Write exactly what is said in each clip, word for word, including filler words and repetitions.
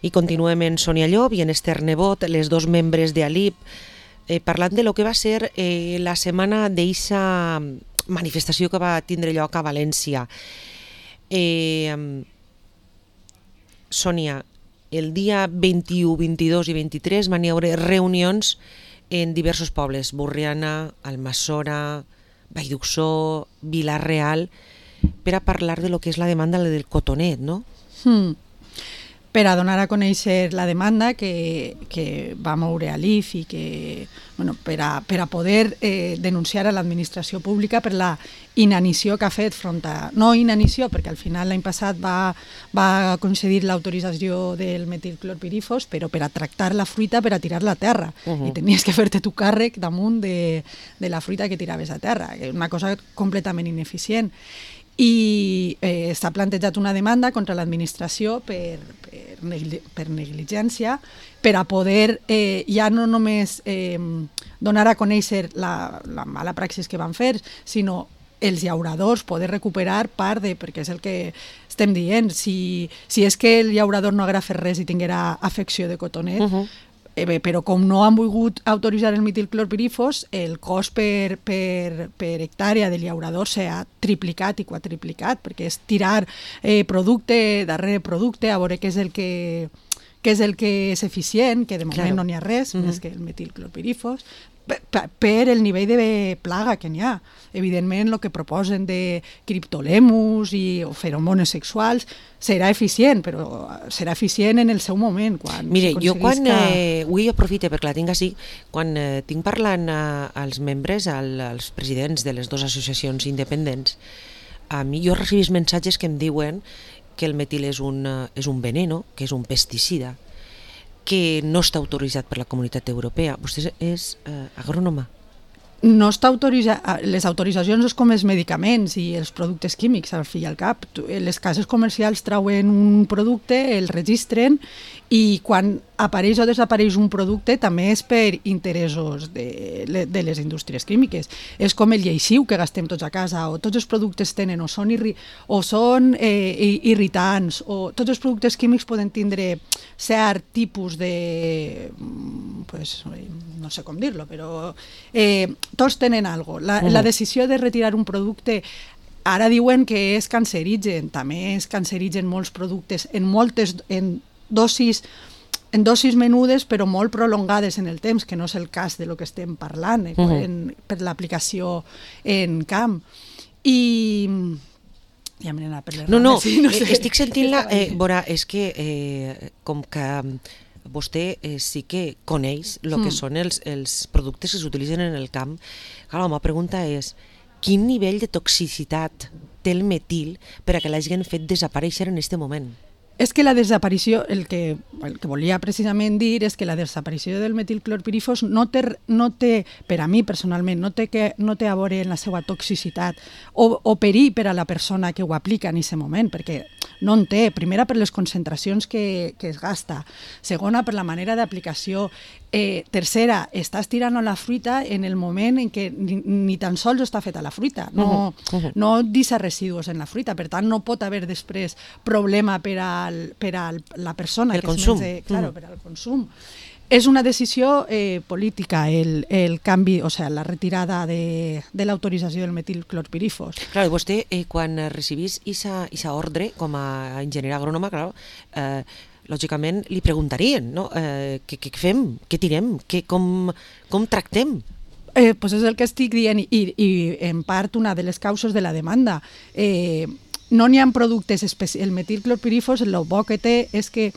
I continuem en Sònia Llop i en Esther Nebot, les dos membres d'A L I P, eh, parlant de lo que va ser eh, la setmana d'eixa manifestació que va tindre lloc a València. Eh, Sònia, el dia vint-i-u, vint-i-dos i vint-i-tres van hi haure reunions en diversos pobles, Borriana, Almassora, Vallduxó, Vila-real, per a parlar de lo que és la demanda del cotonet, no? Hmm. Per a donar a conèixer la demanda que, que va moure a l'I F i que, bueno, per, a, per a poder eh, denunciar a l'administració pública per la inanició que ha fet front a... No inanició, perquè al final l'any passat va, va concedir l'autorització del metilclorpirifos, però per a tractar la fruita, per a tirar-la a terra. Uh-huh. I tenies que fer-te tu càrrec damunt de, de la fruita que tiraves a terra, que és una cosa completament ineficient. I eh, s'ha plantejat una demanda contra l'administració per, per, negli, per negligència, per a poder eh, ja no només eh, donar a conèixer la, la mala praxis que van fer, sinó els llauradors poder recuperar part de... perquè és el que estem dient, si, si és que el llaurador no haguera fet res i tinguera afecció de cotonet, uh-huh. Eh, bé, però com no han volgut autoritzar el metilclorpirifos, el cost per, per, per hectàrea del llaurador s'ha triplicat i quadriplicat, perquè és tirar eh, producte darrere producte a veure què és el que, què és el que és eficient, que de moment claro. No n'hi ha res, uh-huh. més que el metilclorpirifos, per, per el nivell de plaga que n'hi ha. Evidentment, el que proposen de criptolemus i feromones sexuals serà eficient, però serà eficient en el seu moment. Quan Mire, jo quan, que... eh, avui aprofite perquè la tinc així, quan eh, tinc parlant a, als membres, al, als presidents de les dues associacions independents, a mi jo recibís missatges que em diuen que el metil és un, és un veneno, que és un pesticida, que no està autoritzat per la Comunitat Europea. Vostè és eh, agrònoma? No està autoritzat, les autoritzacions és com els medicaments i els productes químics, al fi i al cap. Les cases comercials trauen un producte, el registren i quan apareix o desapareix un producte també és per interessos de, de les indústries químiques. És com el lleixiu que gastem tots a casa, o tots els productes tenen o són, irri, o són eh, irritants, o tots els productes químics poden tindre cert tipus de... Pues, no sé com dir-lo, però eh, tots tenen alguna cosa. La, uh-huh. la decisió de retirar un producte ara diuen que és cancerigen, també és cancerigen molts productes en moltes en dosis en dosis menudes però molt prolongades en el temps, que no és el cas de lo que estem parlant eh, uh-huh. en, per l'aplicació en camp. I ja m'he anat per les no, no, sí, no sé. Estic sentint-la, eh, Bora, és que eh, com que vostè eh, sí que coneix el que mm. són els, els productes que s'utilitzen en el camp. Clar, la meva pregunta és, quin nivell de toxicitat té el metil per a que l'hagin fet desaparèixer en aquest moment? És que la desaparició, el que, el que volia precisament dir és que la desaparició del metilclorpirifos no té, no té, per a mi personalment, no té, que, no té a veure en la seva toxicitat o, o perill per a la persona que ho aplica en aquest moment, perquè no en té. Primera, per les concentracions que, que es gasta. Segona, per la manera d'aplicació. Eh, tercera, estàs tirant la fruita en el moment en què ni, ni tan sols està feta la fruita. No, uh-huh. Uh-huh. no deixa residus en la fruita, per tant no pot haver després problema per a, per a la persona el que consum. es menja, claro, uh-huh. per al consum. És una decisió eh, política el, el canvi, o sea, la retirada de, de l'autorització del metilclorpirifos. Clar, vostè eh, quan recibís aquesta ordre com a enginyer agrònoma, clar, eh, lògicament li preguntarien, no? Eh, què, què fem? Què tirem? Què, com, com tractem? Eh, pues és el que estic dient i, i en part una de les causes de la demanda. Eh, no n'hi ha productes especials. El metilclorpirifos, el bo que té és que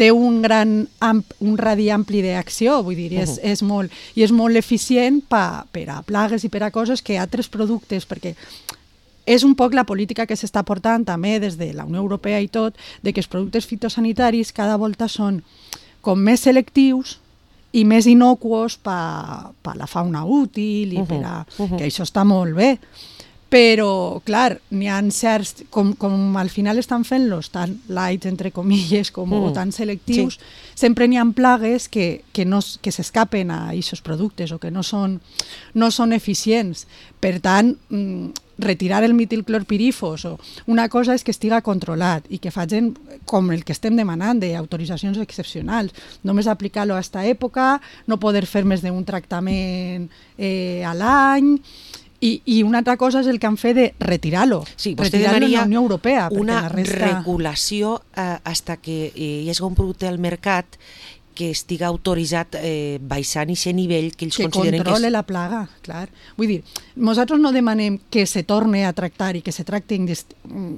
té un gran amp, un radi ampli d'acció, vull dir, és, uh-huh. és molt, i és molt eficient pa, per a plagues i per a coses que altres productes, perquè és un poc la política que s'està portant també des de la Unió Europea i tot, de que els productes fitosanitaris cada volta són com més selectius i més innocuos per pa la fauna útil i uh-huh. per a, uh-huh. que això està molt bé. Però, clar, n'hi ha certs, com, com al final estan fent-los tan light, entre comilles, com, mm. o tan selectius, sí. sempre n'hi ha plagues que, que, no, que s'escapen a aquests productes o que no són, no són eficients. Per tant, retirar el metilclorpirifos, o una cosa és que estiga controlat i que facin com el que estem demanant, d'autoritzacions excepcionals. Només aplicar-lo a aquesta època, no poder fer més d'un tractament eh, a l'any. I, I una altra cosa és el que han fet de retirar-lo, sí, retirar-lo en la Unió Europea. Una la resta... regulació eh, hasta que eh, hi hagi un producte al mercat que estiga autoritzat eh, baixant i ser nivell que ells que consideren que és... Que controle la plaga, clar. Vull dir, nosaltres no demanem que se torne a tractar i que se tracti indis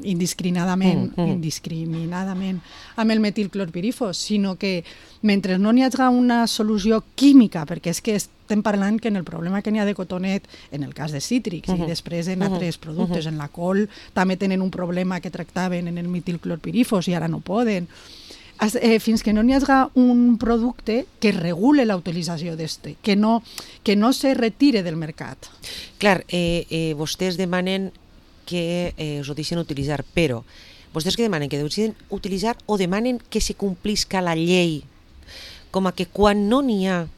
indiscriminadament, mm, mm. indiscriminadament amb el metilclorpirifos, sinó que mentre no n'hi hagi una solució química, perquè és que estem parlant que en el problema que n'hi ha de cotonet, en el cas de cítrics, uh -huh. i després en altres productes, uh -huh. en la col també tenen un problema que tractaven en el metilclorpirifos i ara no poden. Eh, fins que no n'hi hagi un producte que regule la utilització d'este, que no, que no se retire del mercat. Clar, eh, eh, vostès demanen que eh, us ho deixen utilitzar, però vostès que demanen que ho deixen utilitzar o demanen que se complisca la llei, com a que quan no n'hi ha...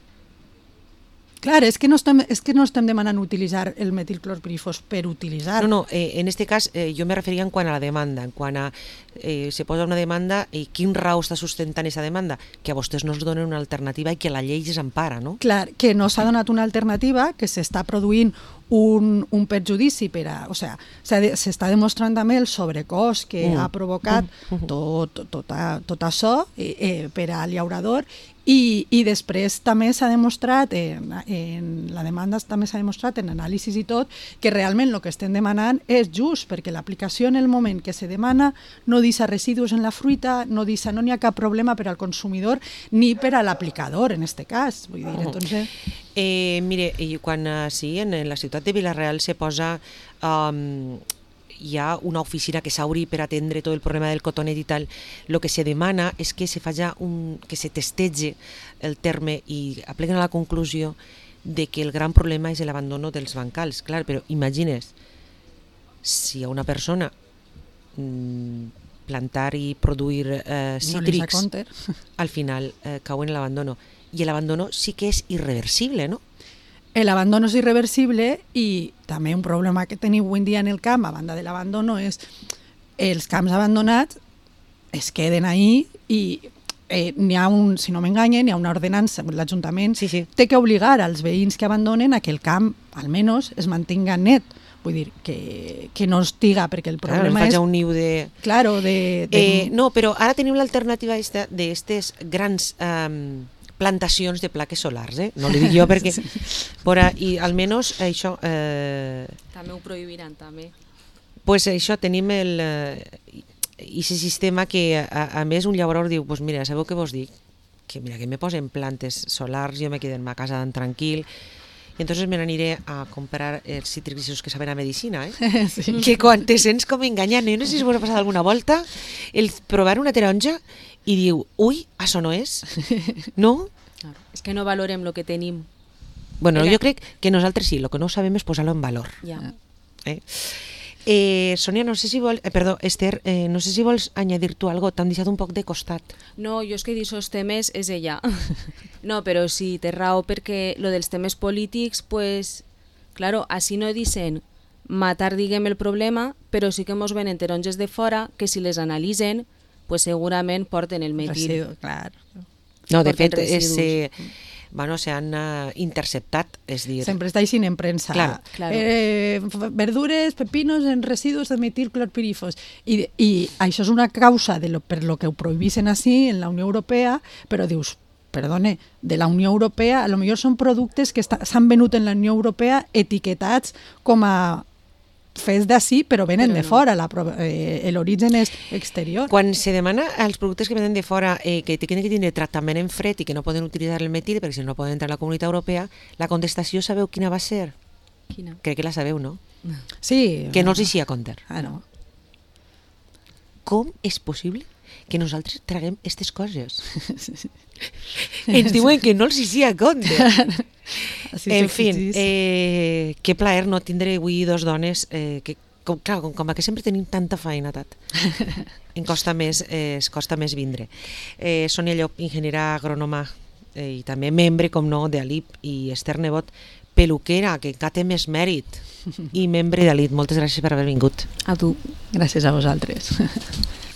Clar, és que no estem, és que no estem demanant utilitzar el metilclorpirifos per utilitzar. No, no, eh, en este cas eh, jo me referia en quant a la demanda, en quant a eh, se posa una demanda i quin raó està sustentant aquesta demanda? Que a vostès no es donen una alternativa i que la llei els empara, no? Clar, que no s'ha donat una alternativa, que s'està produint un, un perjudici per a... O sigui, s'està demostrant també el sobrecost que mm. ha provocat mm. tot, tot, tot, tot això eh, eh, per al llaurador. I, i després també s'ha demostrat, en, en la demanda també s'ha demostrat en anàlisis i tot, que realment el que estem demanant és just, perquè l'aplicació en el moment que se demana no deixa residus en la fruita, no deixa, no n'hi ha cap problema per al consumidor ni per a l'aplicador, en aquest cas. Vull dir, entonces... Eh, mire, quan uh, sí, en, en la ciutat de Vila-real se posa... Um, hi ha una oficina que s'obri per atendre tot el problema del cotonet i tal, el que se demana és que se faci un, que se testege el terme i apleguen a la conclusió de que el gran problema és l'abandono dels bancals. Clar, però imagines, si a una persona mmm, plantar i produir eh, cítrics, no al final eh, cauen en l'abandono. I l'abandono sí que és irreversible, no? L'abandono és irreversible i també un problema que teniu avui en dia en el camp, a banda de l'abandono, és els camps abandonats es queden ahí i eh, n'hi ha un, si no m'enganyen, n'hi ha una ordenança, l'Ajuntament sí, sí. té que obligar als veïns que abandonen a que el camp, almenys, es mantinga net. Vull dir, que, que no estiga, perquè el problema claro, és... un niu de... Claro, de... de... Eh, no, però ara tenim l'alternativa d'aquestes grans... Um, plantacions de plaques solars, eh? No li dic jo perquè... sí. Però, i almenys això... Eh... També ho prohibiran, també. Pues això, tenim el... Eh, aquest sistema que, a, a més, un llaurador diu, pues mira, sabeu què vos dic? Que mira, que me posen plantes solars, jo me quedo en ma casa tan tranquil, i entonces me n'aniré a comprar els cítrics que saben a medicina, eh? Sí. Que quan te sents com enganyant, jo no sé si us ha passat alguna volta, el provar una taronja i diu, ui, això no és? No? Claro. És que no valorem el que tenim. Bueno, Era... jo crec que nosaltres sí, el que no sabem és posar-lo en valor. Ja. Eh? Eh, Sònia, no sé si vols... Eh, perdó, Esther, eh, no sé si vols añadir tu algo, t'han deixat un poc de costat. No, jo és que d'aquests temes és ella. No, però sí, té raó, perquè lo dels temes polítics, pues, claro, així no dicen matar, diguem, el problema, però sí que mos venen taronges de fora que si les analitzen, pues segurament porten el metil. Residu, clar. No, de fet, és... Eh, bueno, s'han uh, interceptat, és dir... Sempre està així en premsa. Claro. Claro. Eh, verdures, pepinos en residus de metilclorpirifos. I, I això és una causa de lo, per lo que ho prohibissin així en la Unió Europea, però dius, perdone, de la Unió Europea, a lo millor són productes que s'han venut en la Unió Europea etiquetats com a fets d'ací, però venen però no. de fora, eh, l'origen és exterior. Quan se demana als productes que venen de fora eh, que tenen que tenir tractament en fred i que no poden utilitzar el metil perquè si no poden entrar a la Comunitat Europea, la contestació sabeu quina va ser? Quina? Crec que la sabeu, no? Sí. Que no els hi a compte. Ah, no. Com és possible que nosaltres traguem aquestes coses? Ens diuen que no els hi a compte. En fi, eh, que plaer no tindre avui dos dones eh, que, com, clar, com, com que sempre tenim tanta feina, tat. Em costa més, eh, es costa més vindre. Eh, Sònia Llop, ingeniera agrònoma eh, i també membre, com no, d'A L I P, i Esther Nebot, peluquera, que encara té més mèrit. i membre d'Elit. Moltes gràcies per haver vingut. A tu. Gràcies a vosaltres.